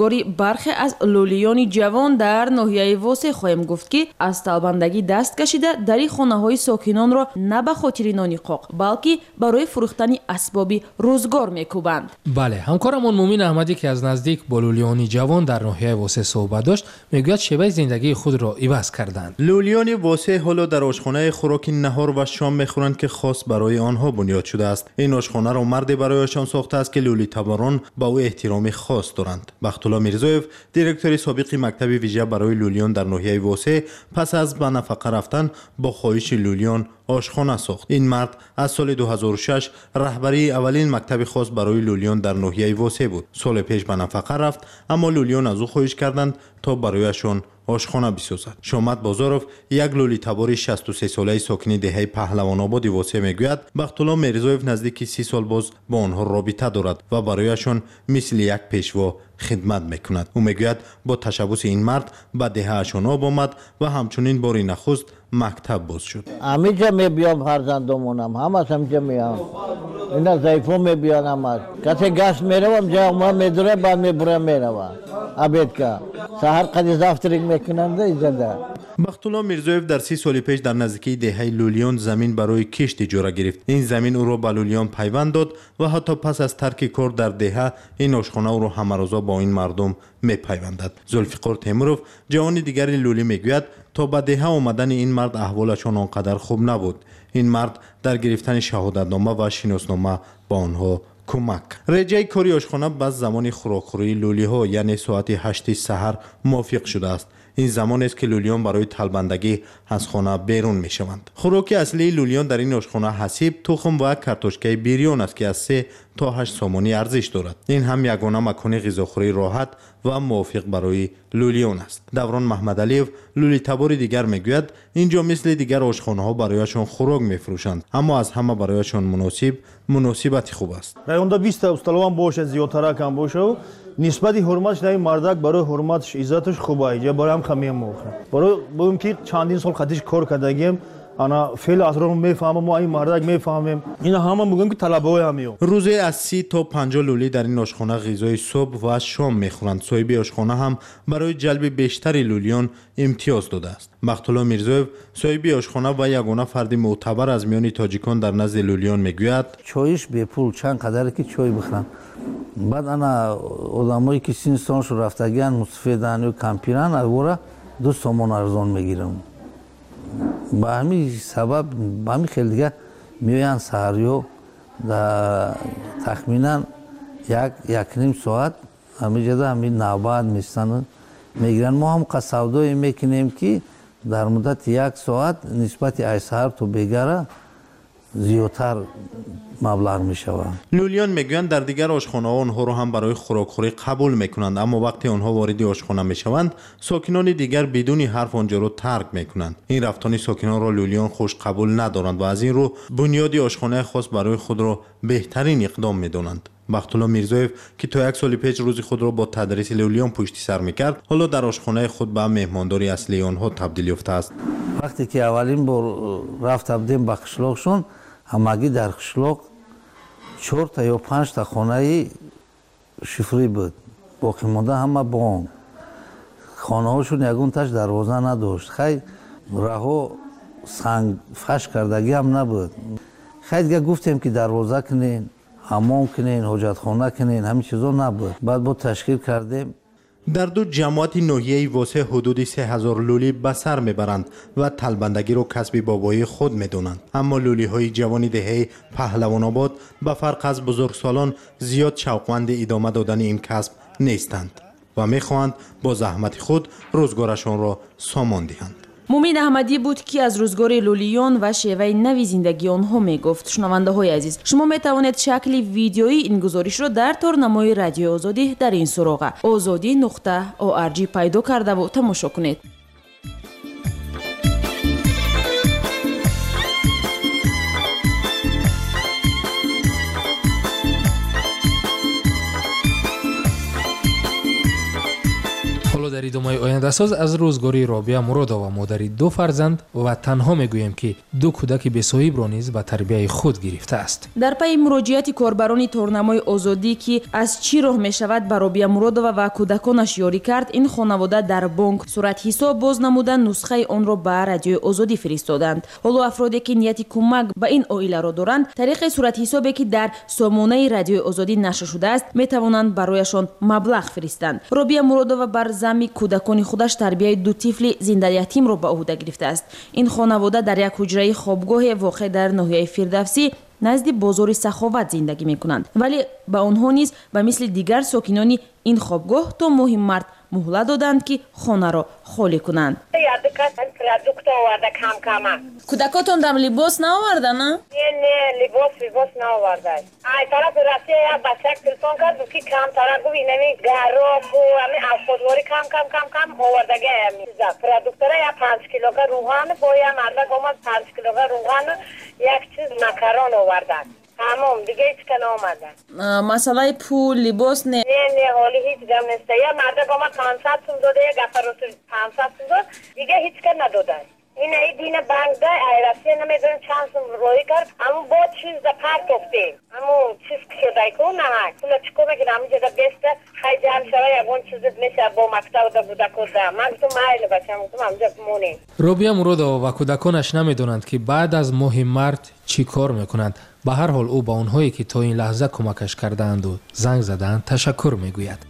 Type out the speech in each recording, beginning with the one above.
Рӯзгори бархе аз лӯлиёни ҷавон дар ноҳияи Восе хоҳем гуфт, ки аз талбандагӣ даст кашида дари хонаҳои сокинонро на ба хотири нони қоқ, балки барои фурӯхтани асбоби рӯзгор мекӯбанд. Бале, ҳамкорамон Мумин Аҳмадӣ, ки аз наздик бо лӯлиёни ҷавон дар ноҳияи Восе суҳбат дошт, мегӯяд шеваи зиндагии худро иваз карданд. Лӯлиёни Восе ҳоло дар ошхонаи хӯроки наҳор ва шом мехӯранд, ки хос барои онҳо бунёд шудааст. Ин ошхонаро марде барояшон сохтааст, ки лӯлитаборон ба ӯ эҳтироми хос доранд. Бахтулло Мирзоев, директори собиқи мактаби вижа барои лӯлиён дар ноҳияи Восе, пас аз ба нафақа рафтан бо хоҳиши лӯлиён ошхона сохт. Ин мард аз соли 2006 раҳбарии аввалин мактаби хос барои лӯлиён дар ноҳияи Восе буд. Соли пеш ба нафақа рафт, аммо лӯлиён аз ӯ хоҳиш карданд, то барояшон ошхона бисозад. Шомат Бозоров, як лӯлитабори 63-солаи сокини деҳаи Паҳлавонободи Восе, мегӯяд Бахтулло Мирзоев наздики 30 сол боз бо онҳо робита дорад ва барояшон мисли як пешво хидмат мекунад. Ӯ мегӯяд бо ташаббуси ин мард ба деҳаашон об омад ва ҳамчунин бори нахуст мактаб боз шуд. Ҳамиҷа мебиём, фарзандомонам ҳамаш ҳамиҷа меям, ина заифо мебиён ҳамаш. Касе гашт меравам, ҷа медура, баъд мебурам, мерава обедка, саҳар қади завтрак мекунанда иҷада. Бахтулло Мирзоев дар 30 соли пеш дар наздикии деҳаи Лӯлиён замин барои кишт иҷора гирифт. Ин замин ӯро ба лӯлиён пайванд дод ва ҳатто пас аз тарки кор дар деҳа ин ошхона ӯро ҳамарӯза бо ин мардум мепайвандад. Зулфиқор Темуров, ҷавони дигари лӯлӣ, мегӯяд то ба деҳа омадани ин мард аҳволашон он қадар хуб набуд. Ин мард дар гирифтани шаҳодатнома ва шиноснома ба онҳо кӯмак. Реҷаи кори ошхона ба замони хӯрокхӯрии лӯлиҳо, яъне соати 8 саҳар мувофиқ шудааст. Ин замонест, ки лӯлиён барои талбандагӣ аз хона берун мешаванд. Хӯроки аслии лӯлиён дар ин ошхона ҳасиб, тухм ва картошкаи бирён аст, ки аз 3 то 8 сомонӣ арзиш дорад. Ин ҳам ягона макони ғизохӯрии роҳат ва мувофиқ барои лӯлиён аст. Даврон Маҳмадалиев, лӯлитабори дигар, мегӯяд ин ҷо мисли дигар ошхонаҳо барояшон хӯрок мефурӯшанд, аммо аз ҳама барояшон муносиб муносибати хуб аст. Районда 20 усталовам бошад, зиёдтаракам бошад, нисбати ҳурматш наи мардак барои ҳурматш, иззаташ хуба. Иҷа барои ҳам хамиям мохӯрам, барои бигӯм, ки чандин сол қатиш кор кардагием, ана феъл асрор мефаҳмам, мо ин мардак мефаҳмем, ина ҳама мегӯем, ки талабаҳои ҳамиё. Рӯзе аз 30 то 50 лӯлӣ дар ин ошхона ғизои субҳ ва шом мехӯранд. Соҳиби ошхона ҳам барои ҷалби бештари лӯлиён имтиёз додааст. Бахтулло Мирзоев, соҳиби ошхона ва ягона фарди мӯътабар аз миёни тоҷикон дар назди лӯлиён, мегӯяд: чоиш бепул, чанд қадаре ки чой бихӯранд. Баъд ана одамое ки синни солшон рафтагиан, мусафеданд ё кампиранд, авора 2 сомон арзон мегирам. Ба ҳамин сабаб, ба ҳамин хел дига меоянд саҳарё, тахминан як якним соат ҳамиҷада ҳамин навбат меистану мегиранд. Мо ҳам қа савдое мекунем, ки дар муддати як соат нисбати ай саҳар то бегара зиёдтар маблағ мешавад. Лӯлиён мегӯянд дар дигар ошхонаҳо онҳоро ҳам барои хӯрокхӯрӣ қабул мекунанд, аммо вақте онҳо вориди ошхона мешаванд, сокинони дигар бидуни ҳарф онҷоро тарк мекунанд. Ин рафтони сокинонро лӯлиён хуш қабул надоранд ва аз ин рӯ бунёди ошхонаи хос барои худро беҳтарин иқдом медонанд. Бахтулло Мирзоев, ки то як соли пеш рӯзи худро бо тадриси лӯлиён пушти сар мекард, ҳоло дар ошхонаи худ ба меҳмондори аслии онҳо табдил ёфтааст. Вақте ки аввалин бор рафта будем ба қишлоқшон, ҳамагӣ дар қишлоқ чорта ё панҷта хонаи шифрӣ буд, боқимонда ҳама бонк. Хонаҳошон ягонташ дарвоза надошт. Хай, раҳо сангфаш кардагиам набуд. Хай, дига гуфтем, ки дарвоза кунен, ҳамом кунен, ҳоҷатхона кунен, ҳамин чизо набуд. Баъд бо ташкил кардем. Дар ду ҷамоати ноҳияи Восе ҳудуди 3000 лӯлӣ ба сар мебаранд ва талбандагиро касби бобоии худ медонанд. Аммо лӯлиҳои ҷавони деҳаи Паҳлавонобод ба фарқ аз бузургсолон зиёд шавқманди идома додани ин касб нестанд ва мехоҳанд бо заҳмати худ рӯзгорашонро сомон диҳанд. Мумин Аҳмадӣ буд, ки аз рӯзгори лӯлиён ва шеваи нави зиндагии онҳо мегуфт. Шунавандаҳои азиз, шумо метавонед шакли видеоии ин гузоришро дар торнамои Радиои Озодӣ дар ин суроға озодӣ.org пайдо кардаву тамошо кунед. Ҳоло Ҳоло дар идомаи ояндасоз аз рӯзгори Робия Муродова, модари ду фарзанд ва танҳо мегӯем, ки ду кӯдаки бесоҳибро низ ба тарбияи худ гирифтааст. Дар пайи муроҷиати корбарони торнамои Озодӣ, ки аз чӣ роҳ мешавад ба Робия Муродова ва кӯдаконаш ёрӣ кард, ин хонавода дар бонк суратҳисоб боз намуда, нусхаи онро ба Радиои Озодӣ фиристоданд. Ҳоло афроде, ки нияти кӯмак ба ин оиларо доранд, тариқи суратҳисобе, ки дар сомонаи Радиои Озодӣ нашр шудааст, метавонанд барояшон маблағ фиристанд. Робия Муродова бар замми кӯдакони худаш тарбияи ду тифли зиндаятимро ба ӯҳда гирифтааст. Ин хонавода дар як ҳуҷраи хобгоҳе воқеъ дар ноҳияи Фирдавсӣ назди бозори Саховат зиндагӣ мекунанд, вале ба онҳо низ ба мисли дигар сокинони ин хобгоҳ то моҳи март муҳлат доданд, ки хонаро холӣ кунанд. Кӯдакотон дам либос наоварда, на? Не, не, либос наоварда. Ай тарафи Россия як бачак телефон кард, гуфт, ки камтара, гуфт, инами гароку ами афходворӣ кам кам кам кам овардаги ами продуктора, як 5 килога рӯған, бо як мардак омад, 5 килога рӯған, як чиз макарон оварданд, тамом, дига ҳеч ка наомаданд. Масъалаи пул, либос не? Не, не, ҳоли ҳеҷ гап неста. Як мардак омад, 500 сум дода, як гафаросу 500 сум дод, дига ҳеч ка надоданд. Ина дина банкда ай Россия намедонам чанд сум роҳӣ кард, аммо бо чизда партофтем, аммо чиз кушодайку наҳак пула чӣ кор мекунам, ҳамиҷода беста хай ҷамъ шава, ягон чиз меша бо мактабда кӯдакода. Ман гуфтам, майли бачам, гуфтам, ҳамиҷа монем. Робия Муродова ва кӯдаконаш намедонанд, ки баъд аз моҳи март чӣ кор мекунанд. Ба ҳар ҳол, ӯ ба онҳое, ки то ин лаҳза кӯмакаш кардаанду занг задаанд, ташаккур мегӯяд.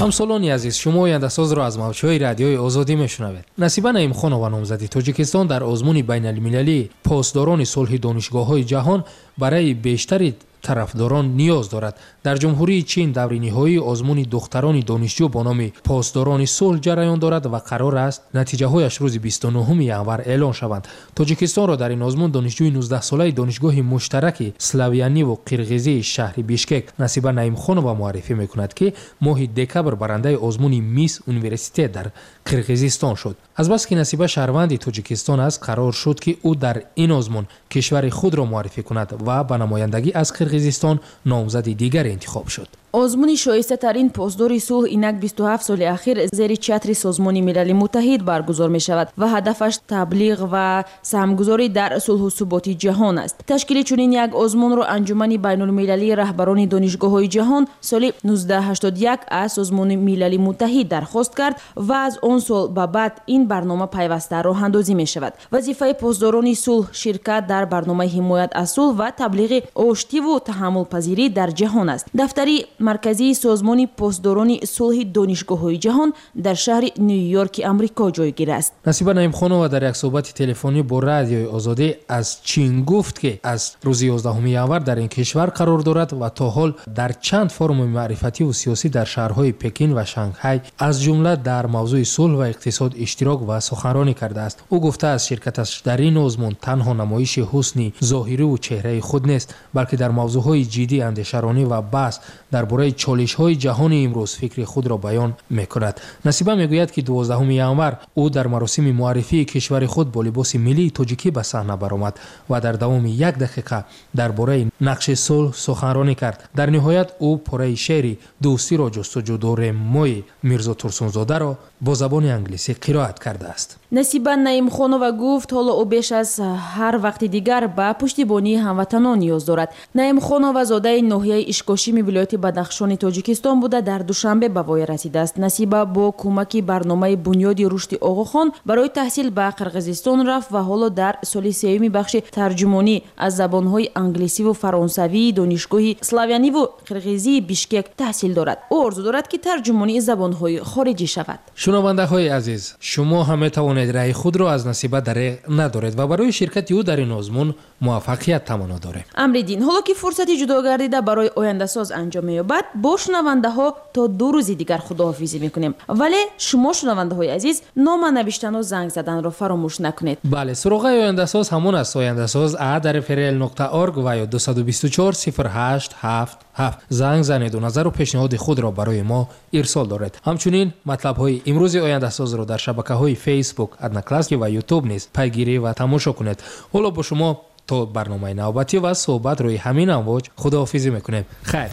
Ҳамсолони азиз, шумо ояндасозро аз мавҷҳои Радиои Озодӣ мешунавед. Насиба Наимхонова, номзади Тоҷикистон дар озмуни байналмилалии посдорони сулҳи донишгоҳҳои ҷаҳон, барои бештари тарафдорон ниёз дорад. Дар Ҷумҳурии Чин даври ниҳоии озмуни духтарони донишҷӯ бо номи посдорони сулҳ ҷараён дорад ва қарор аст натиҷаҳояш рӯзи 29 январ эълон шаванд. Тоҷикистонро дар ин озмун донишҷӯи 19-солаи Донишгоҳи муштараки славяниеву қирғизии шаҳри Бишкек Насиба Наимхонова муаррифӣ мекунад, ки моҳи декабр барандаи озмуни Мисс Университет дар Қирғизистон шуд. Азбаски Насиба шаҳрванди Тоҷикистон аст, қарор шуд, ки ӯ дар ин озмун кишвари худро муаррифӣ кунад ва ба намояндагӣ аз Қирғизистон номзади дигаре интихоб шуд. Озмуни шоистатарин посдори сулҳ инак 27 соли ахир зери чатри Созмони Милали Муттаҳид баргузор мешавад ва ҳадафаш таблиғ ва саҳмгузорӣ дар сулҳу суботи ҷаҳон аст. Ташкили чунин як озмунро Анҷумани байнулмилалии раҳбарони донишгоҳҳои ҷаҳон соли 1981 аз Созмони Милали Муттаҳид дархост кард ва аз он сол ба баъд ин барнома пайваста роҳандозӣ мешавад. Вазифаи посдорони сулҳ ширкат дар барномаи ҳимоят аз сулҳ ва таблиғи оштиву таҳаммулпазирӣ дар ҷаҳон аст. Дафтари марказии Созмони посдорони сулҳи донишгоҳҳои ҷаҳон дар шаҳри Ню-Йорки Амрико ҷойгир аст. Насиба Наимхонова дар як суҳбати телефонӣ бо Радиои Озодӣ аз Чин гуфт, ки аз рӯзи 11 январ дар ин кишвар қарор дорад ва то ҳол дар чанд форуми маърифативу сиёсӣ дар шаҳрҳои Пекин ва Шанхай, аз ҷумла дар мавзӯи сулҳ ва иқтисод, иштирок ва суханронӣ кардааст. Ӯ гуфтааст, ширкаташ дар ин озмун танҳо намоиши ҳусни зоҳириву чеҳраи худ нест, балки дар мавзӯъҳои ҷиддӣ андешаронӣ ва баҳс дар бораи чолишҳои ҷаҳони имрӯз фикри худро баён мекунад. Насиба мегӯяд, ки 12 январ ӯ дар маросими муаррифии кишвари худ бо либоси миллии тоҷикӣ ба саҳна баромад ва дар давоми як дақиқа дар бораи нақши сулҳ суханронӣ кард. Дар ниҳоят ӯ пораи шеъри «Дӯстиро ҷустуҷӯ дорем мои» Мирзо Турсунзодаро бо забони англисӣ қироат кардааст. Насиба Наимхонова гуфт, ҳоло ӯ беш аз ҳар вақти дигар ба пуштибонии ҳамватанон ниёз дорад. Наимхонова зодаи ноҳияи Ишкошими вилояти Бадахшони Тоҷикистон буда, дар Душанбе ба воя расидааст. Насиба бо кӯмаки барномаи Бунёди рушди Оғохон барои таҳсил ба Қирғизистон рафт ва ҳоло дар соли сеюми бахши тарҷумонӣ аз забонҳои англисиву фаронсавии Донишгоҳи славяниву қирғизии Бишкек таҳсил дорад. Ӯ орзу дорад, ки тарҷумонии забонҳои хориҷӣ шавад. Шунавандаҳои азиз, шумо ҳам метавонед раъи худро аз Насиба дареғ надоред ва барои ширкати ӯ дар ин озмун муваффақият таманно дорем. Амриддин, ҳоло ки фурсати ҷудо гардида барои ояндасоз анҷом меёбад. суҳбат бо шунавандаҳо то 2 рӯзи дигар худоҳофизӣ мекунем. Вале шумо шунавандаҳои азиз нома навиштану занг заданро фаромӯш накунед. Бале, суроғаи ояндасоз ҳамон аст: ояндасоз a@rl.org ва ё 224 08 77. Занг занеду назару пешниҳоди худро барои мо ирсол доред. Ҳамчунин матлабҳои имрӯзи ояндасозро дар шабакаҳои Facebook, Одноклассники ва YouTube низ пайгирӣ ва тамошо кунед. Ҳоло бо шумо то барномаи навбатӣ ва суҳбат рӯи ҳамин амвоҷ худоҳофизӣ мекунем. Хайр.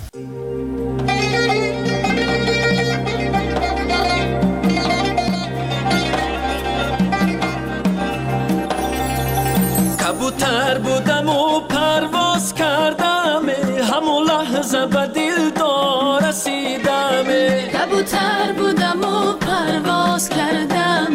Кабутар будаму парвоз кардам, ҳамон лаҳза ба дилдор расидам. Кабутар будаму парвоз кардам,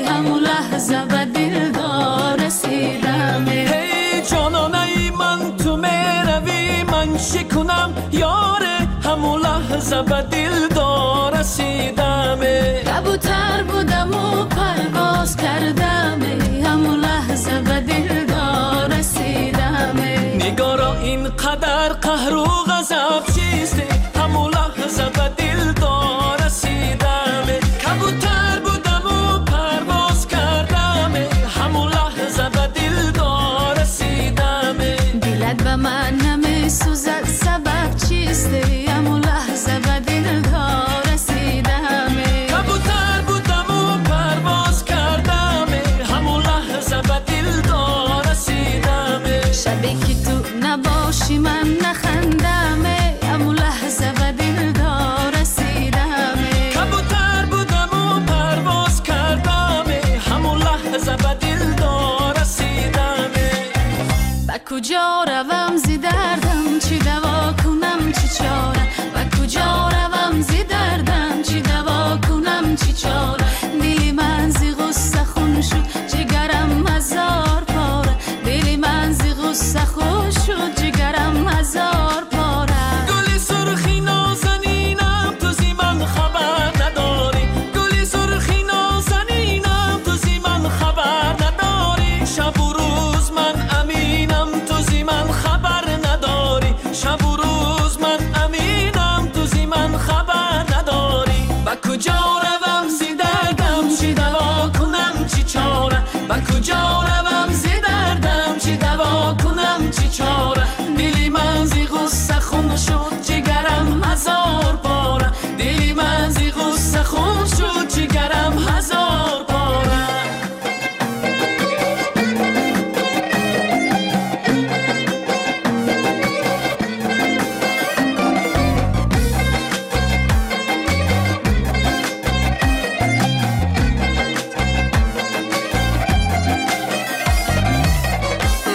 ҳамон лаҳза ба дилдор расидам. Эй ҷононаи ман, ту меравӣ, ман чӣ кунам ёре, ҳамон лаҳза ба дилдор расидам. Кабутар будаму парвоз кардам, ҳамон лаҳза ба дилдор расидам. Нигоро, ин қадар қаҳру ғазаб чист, ҳамон лаҳза ба дилдор расидам. Кабутар будаму парвоз кардам, ҳамон лаҳза ба дилдор расидам. Дилат ба ман намесӯзад, сабаб чист, ҳамон лаҳза ба дилдор расидам. Кабутар будаму парвоз кардам, ҳамон лаҳза ба дилдор расидам. Шабе ки ту набошӣ ман нахандам, ҳамон лаҳза ба дилдор расидам. Кабутар будаму парвоз кардам, ҳамон лаҳза ба дилдор расидам. Ба куҷо равам зи дардам, чӣ даво кунам, чӣ чора? Ба куҷо равам зи дардам, чӣ даво кунам, чӣ чора? Дили ман зи ғусса хун шуд, ҷигарам ҳазор пора. Дили ман зи ғусса хун шуд, ҷигарам ҳазор пора. Гули сурхи нозанинам, ту зи ман хабар надорӣ. Гули сурхи нозанинам, ту зи ман хабар надорӣ. Шабу рӯз ман аминам, ту зи ман хабар надорӣ. Шабу рӯз ман аминам, ту зи ман хабар надорӣ. Ба куҷо равам зи дардам, чӣ даво кунам, чӣ чора? Ба куҷо равам зи дардам, чӣ даво кунам, чӣ чора? Дили ман зи ғусса хун шуд, ҷигарам ҳазор пора. Дили ман зи ғусса хун шуд, ҷигарам ҳазор пора.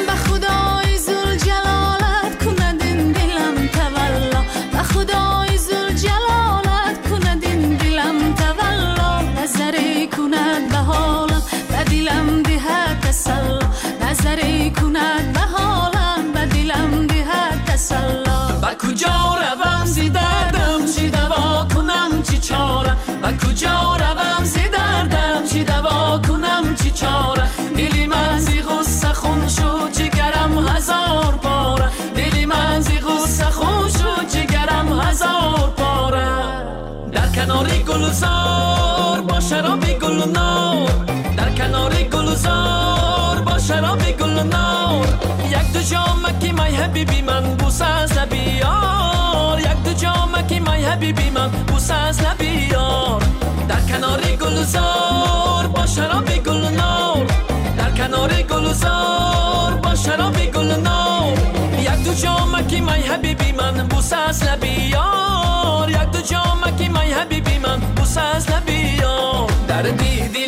Ба худои зулҷалолат кунад ин дилам тавалло, ба худои зулҷалолат кунад ин дилам тавалло. Назаре кунад ба ҳолам, ба дилам диҳад тасалло. Назаре кунад ба ҳолам, ба дилам диҳад тасалло. Ба куҷо равам зи дардам, чӣ даво кунам, чӣ чора? Ба куҷо равам зи дардам, чӣ даво кунам, чӣ чора? Дили ман зи ғусса хун шуд, ҷигарам ҳазор пора. Дили ман зи ғусса хун шуд, ҷигарам ҳазор пора. Дар канори гулзор бо шароби гулнор, дар канори гулзор бо шароби гулнор. Як ду ҷомаки май ҳабиби ман бӯса аз лаби ёр, як ду ҷомаки май ҳабиби ман бӯса аз лаби ёр. Дар канори гулзор бо шароби гулнор, дар канори гулзор бо шароби гулнор. Як ду ҷомаки май ҳабиби ман бӯса аз лаби ёр, як ду ҷомаки май ҳабиби ман бӯса аз лаби ёр. Дар диди